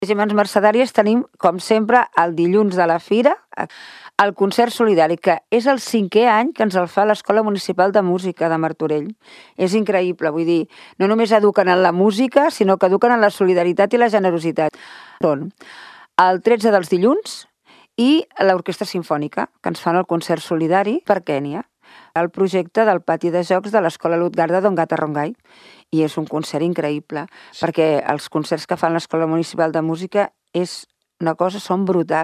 Regiments mercedaris tenim, com sempre, el dilluns de la fira, el concert solidari, que és el 5è any que ens el fa l'Escola Municipal de Música de Martorell. És increïble, vull dir, no només eduquen en la música, sinó que eduquen en la solidaritat i la generositat. Són el 13 dels dilluns i l'Orquestra Simfònica, que ens fan el concert solidari per Kènia, el projecte del pati de jocs de l'Escola Lutgarda d'Ongata Rongai. I és un concert increïble, perquè els concerts que fan l'Escola Municipal de Música són brutals.